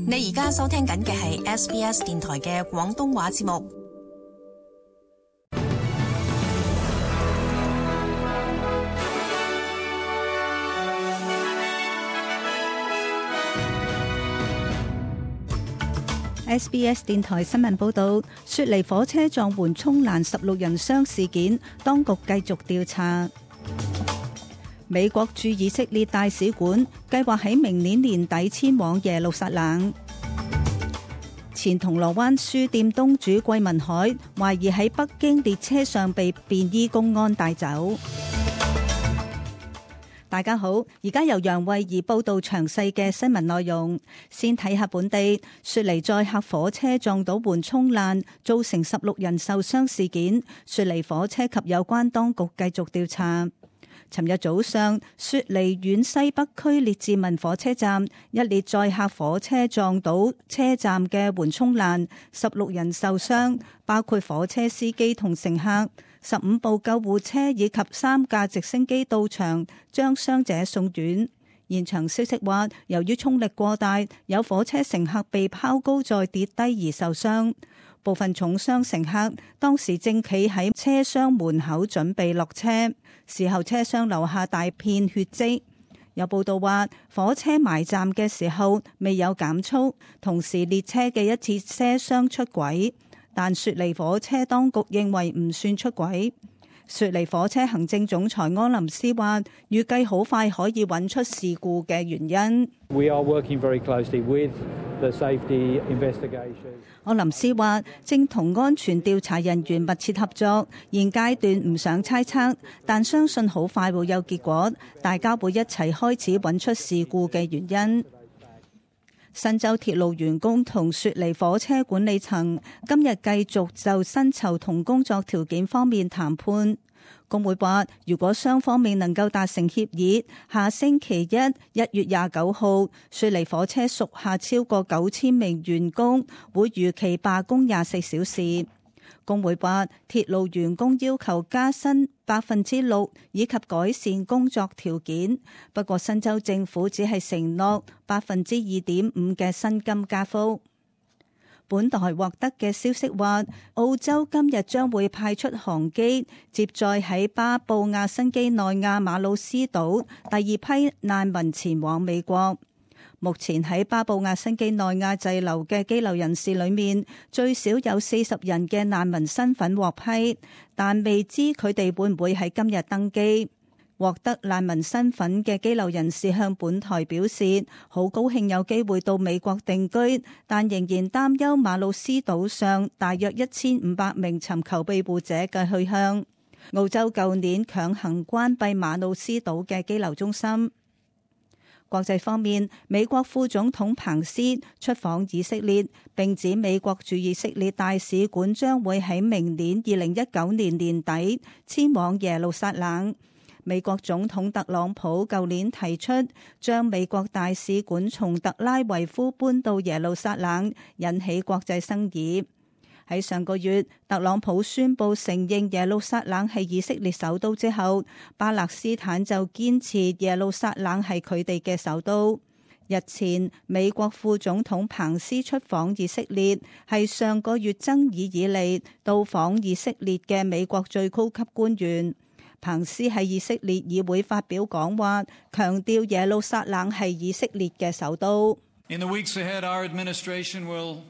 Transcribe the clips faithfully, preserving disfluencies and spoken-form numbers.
你而家收聽緊嘅係 S B S 電台嘅廣東話節目。S B S 電台新聞報道，雪梨火車撞緩衝欄十六人傷事件，當局繼續調查。美國駐以色列大使館計劃喺明年年底遷往耶路撒冷。前銅鑼灣書店東主桂民海懷疑喺北京列車上被便衣公安帶走。大家好，而家由楊慧儀報道詳細嘅新聞內容。先睇下本地雪梨載客火車撞到緩衝欄，造成十六人受傷事件，雪梨火車及有關當局繼續調查。尋日早上，雪梨縣西北區列治文火車站一列載客火車撞到車站嘅緩衝欄，十六人受傷，包括火車司機同乘客。十五部救護車以及三架直升機到場，將傷者送院。現場消息話，由於衝力過大，有火車乘客被拋高再跌低而受傷。部分重傷乘客當時正企喺車廂門口準備落車，事後車廂留下大片血跡。有報道話，火車埋站嘅時候未有減速，同時列車嘅一節車廂出軌。但雪梨火車當局認為唔算出軌。雪梨火車行政總裁柯林斯話，預計好快可以揾出事故嘅原因。We are working very closely with the safety investigations. 柯林斯話，正同安全調查人員密切合作，現階段唔想猜測，但相信好快會有結果，大家會一齊開始揾出事故嘅原因。新州鐵路員工同雪梨火車管理層今日繼續就薪酬同工作條件方面談判。工會話，如果雙方面能夠達成協議，下星期一一月廿九號，雪梨火車屬下超過九千名員工會如期罷工廿四小時。工會話，鐵路員工要求加薪百分之六以及改善工作條件，不過新州政府只係承諾百分之二點五嘅薪金加幅。本台獲得嘅消息話，澳洲今日將會派出航機接載喺巴布亞新幾內亞馬魯斯島第二批難民前往美國。目前喺巴布亞新幾內亞滯留嘅羈留人士裏面，最少有四十人嘅難民身份獲批，但未知佢哋會唔會喺今日登機。獲得難民身份嘅羈留人士向本台表示，好高興有機會到美國定居，但仍然擔憂馬魯斯島上大約一千五百名尋求庇護者嘅去向。澳洲舊年強行關閉馬魯斯島嘅羈留中心。國際方面，美國副總統彭斯出訪以色列，並指美國駐以色列大使館將會喺明年二零一九年年底遷往耶路撒冷。美國總統特朗普舊年提出將美國大使館從特拉維夫搬到耶路撒冷，引起國際爭議。喺上個月，特朗普宣布承認耶路撒冷係以色列首都之後，巴勒斯坦就堅持耶路撒冷係佢哋嘅首都。日前，美國副總統彭斯出訪以色列，係上個月爭議以嚟到訪以色列嘅美國最高級官員。彭斯喺以色列議會發表講話，強調耶路撒冷係以色列嘅首都。In the weeks ahead, our administration will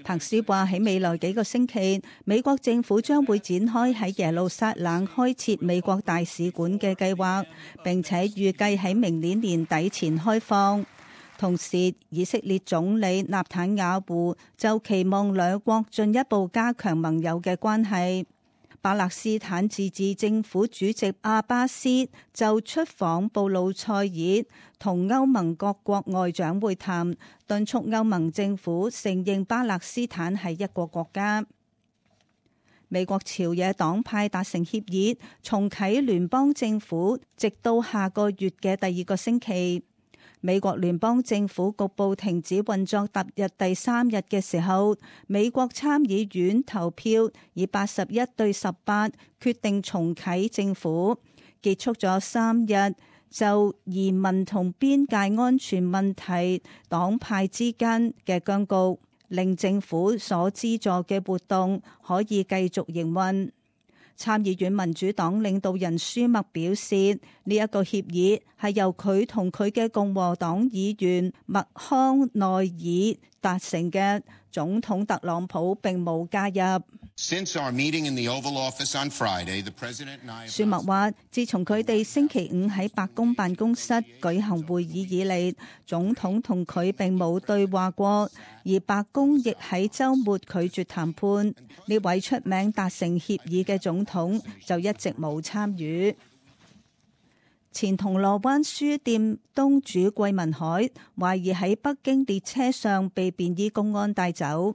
彭斯話喺未來幾個星期，美國政府將會展開喺耶路撒冷開設美國大使館嘅計劃，並且預計喺明年年底前開放。同時，以色列總理納坦雅胡就期望兩國進一步加強盟友嘅關係。巴勒斯坦自治政府主席阿巴斯就出訪布魯塞爾，同歐盟各國外長會談，敦促歐盟政府承認巴勒斯坦係一個國家。美國朝野黨派達成協議，重啟聯邦政府，直到下個月嘅第二個星期。美國聯邦政府局部停止運作踏入第三日嘅時候，美國參議院投票以八十一對十八決定重啟政府，結束咗三日就移民同邊界安全問題黨派之間嘅僵局，令政府所資助嘅活動可以繼續營運。參議院民主黨領導人舒默表示，呢、這、一個協議係由佢同佢嘅共和黨議員麥康奈爾達成嘅，總統特朗普並冇加入。Since our meeting in the Oval Office on Friday, the President and I... 舒默話，自從佢哋星期五喺白宮辦公室舉行會議以嚟，總統同佢並冇對話過，而白宮亦喺週末拒絕談判。呢位出名達成協議嘅總統就一直冇參與。前銅鑼灣書店東主桂民海懷疑喺北京列車上被便衣公安帶走。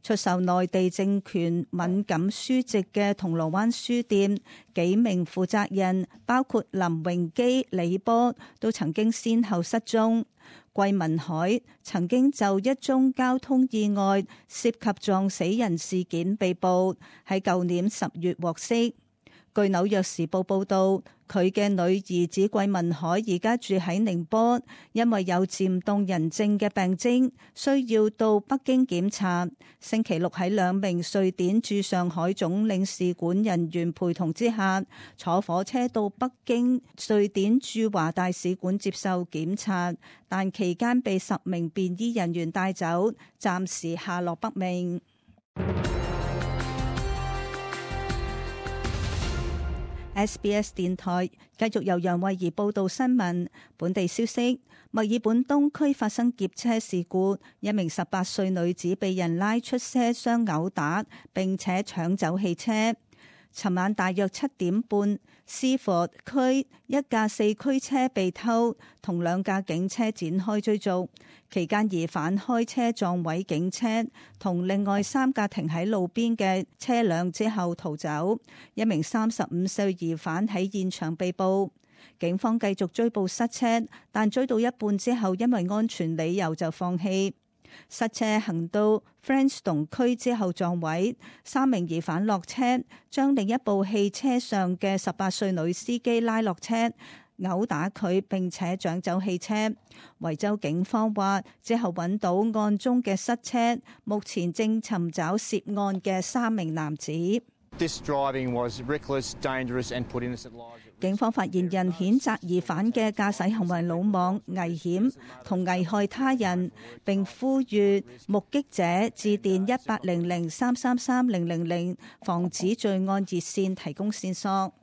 出售內地政權敏感書籍嘅銅鑼灣書店幾名負責人，包括林榮基、李波，都曾經先後失蹤。桂民海曾經就一宗交通意外涉及撞死人事件被捕，喺舊年十月獲釋。據紐約時報報道，佢嘅女兒子桂民海而家住喺寧波，因為有漸凍人症嘅病徵，需要到北京檢查。星期六喺兩名瑞典駐上海總領事館人員陪同之下，坐火車到北京瑞典駐華大使館接受檢查，但期間被十名便衣人員帶走，暫時下落不明。S B S 電台繼續由楊慧儀報道新聞。本地消息：墨爾本東區發生劫車事故，一名十八歲女子被人拉出車廂毆打，並且搶走汽車。尋晚大約七點半，斯佛區一架四驅車被偷，同兩架警車展開追逐。期間疑犯開車撞毀警車同另外三架停喺路邊嘅車輛之後逃走。一名三十五歲疑犯喺現場被捕。警方繼續追捕失車，但追到一半之後，因為安全理由就放棄。失車行到 Frankston 區之後撞毀，三名疑犯落車，將另一部汽車上嘅十八歲女司機拉落車，毆打佢並且搶走汽車。維州警方話之後揾到案中嘅失車，目前正尋找涉案嘅三名男子。This driving was reckless, dangerous and put innocent lives. 警方發言人譴責疑犯嘅駕駛行為魯莽、危險同危害他人，並呼籲目擊者致電一八零零三三三零零零防止罪案熱線提供線索。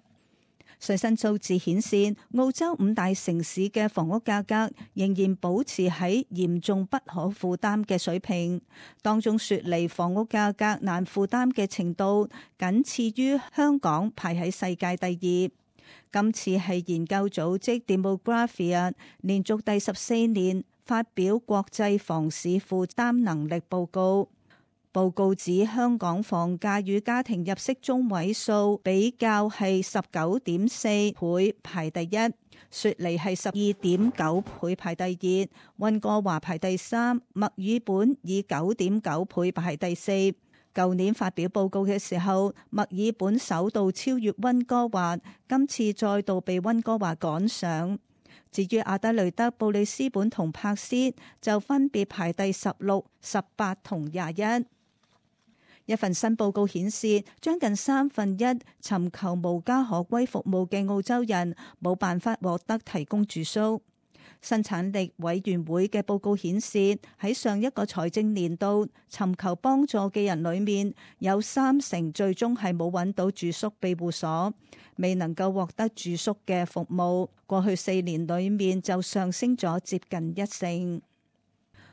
最新數字顯示，澳洲五大城市嘅房屋價格仍然保持喺嚴重不可負擔嘅水平，當中雪梨房屋價格難負擔嘅程度僅次於香港，排喺世界第二。今次係研究組織 Demographia 連續第十四年發表國際房市負擔能力報告。報告指香港房價與家庭入息中位數比較係十九點四倍排第一，雪梨係十二點九倍排第二，溫哥華排第三，墨爾本以九點九倍排第四。舊年發表報告嘅時候，墨爾本首度超越溫哥華，今次再度被溫哥華趕上。至於阿德雷德、布里斯本同珀斯就分別排第十六、十八同廿一。一份新報告顯示，將近三分一尋求無家可歸服務嘅澳洲人冇辦法獲得提供住宿。生產力委員會嘅報告顯示，喺上一個財政年度，尋求幫助嘅人裏面有三成最終係冇揾到住宿庇護所，未能夠獲得住宿嘅服務。過去四年裏面就上升咗接近一成。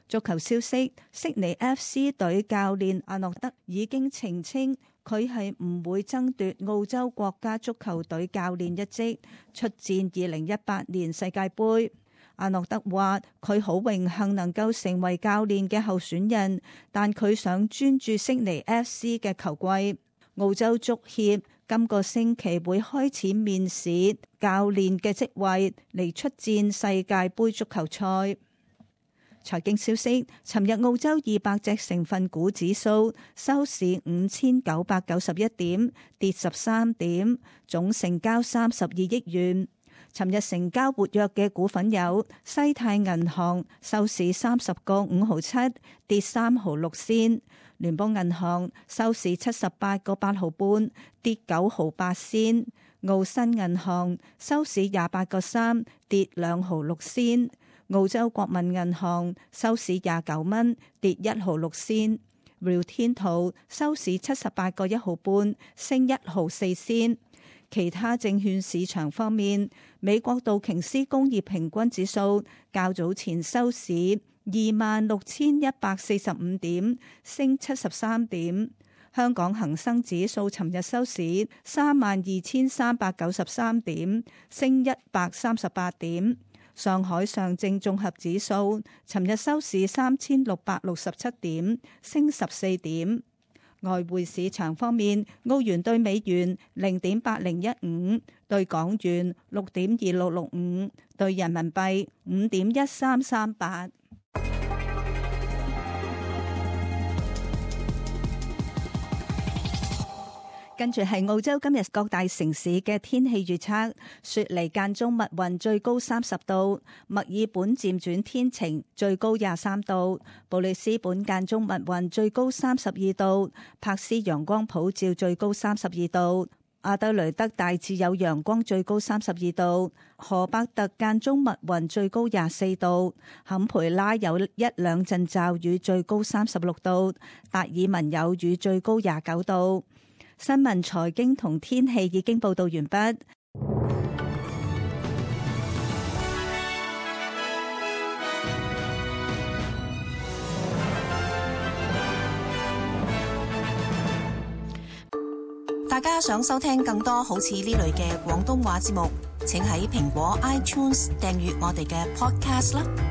足球消息，悉尼 F C 隊教練阿諾德已經澄清，佢係唔會爭奪澳洲國家足球隊教練一職，出戰二零一八年世界盃。阿諾德話：佢好榮幸能夠成為教練嘅候選人，但佢想專注悉尼 F C 嘅球季。澳洲足協今個星期會開始面試教練嘅職位嚟出戰世界盃足球賽。財經消息，尋日澳洲二百隻成分股指數收市五千九百九十一點，跌十三點，總成交三十二億元。尋日成交活躍嘅股份有西泰銀行，收市三十個五毫七，跌三毫六仙；聯邦銀行收市七十八個八毫半，跌九毫八仙；澳新銀行收市廿八個三，跌兩毫六仙；澳洲國民銀行收市廿九蚊，跌一毫六仙。Rio Tinto收市七十八個一毫半，升一毫四仙。其他證券市場方面，美國道瓊斯工業平均指數較早前收市二萬六千一百四十五點，升七十三點。香港恒生指數尋日收市三萬二千三百九十三點，升一百三十八點。上海上證綜合指數尋日收市三千六百六十七點，升十四點。外匯市場方面，澳元對美元零點八零一五，對港元六點二六六五，對人民幣五點一三三八。跟住係澳洲今日各大城市嘅天氣預測：雪梨間中密雲，最高三十度；墨爾本漸轉天晴，最高廿三度；布里斯本間中密雲，最高三十二度；珀斯陽光普照，最高三十二度；阿德雷德大致有陽光，最高三十二度；荷伯特間中密雲，最高廿四度；坎培拉有一兩陣驟雨，最高三十六度；達爾文有雨，最高廿九度。新聞、財經同天氣已經報道完畢。大家想收聽更多好似呢類嘅廣東話節目，請喺蘋果 iTunes 訂閱我哋嘅 Podcast 啦。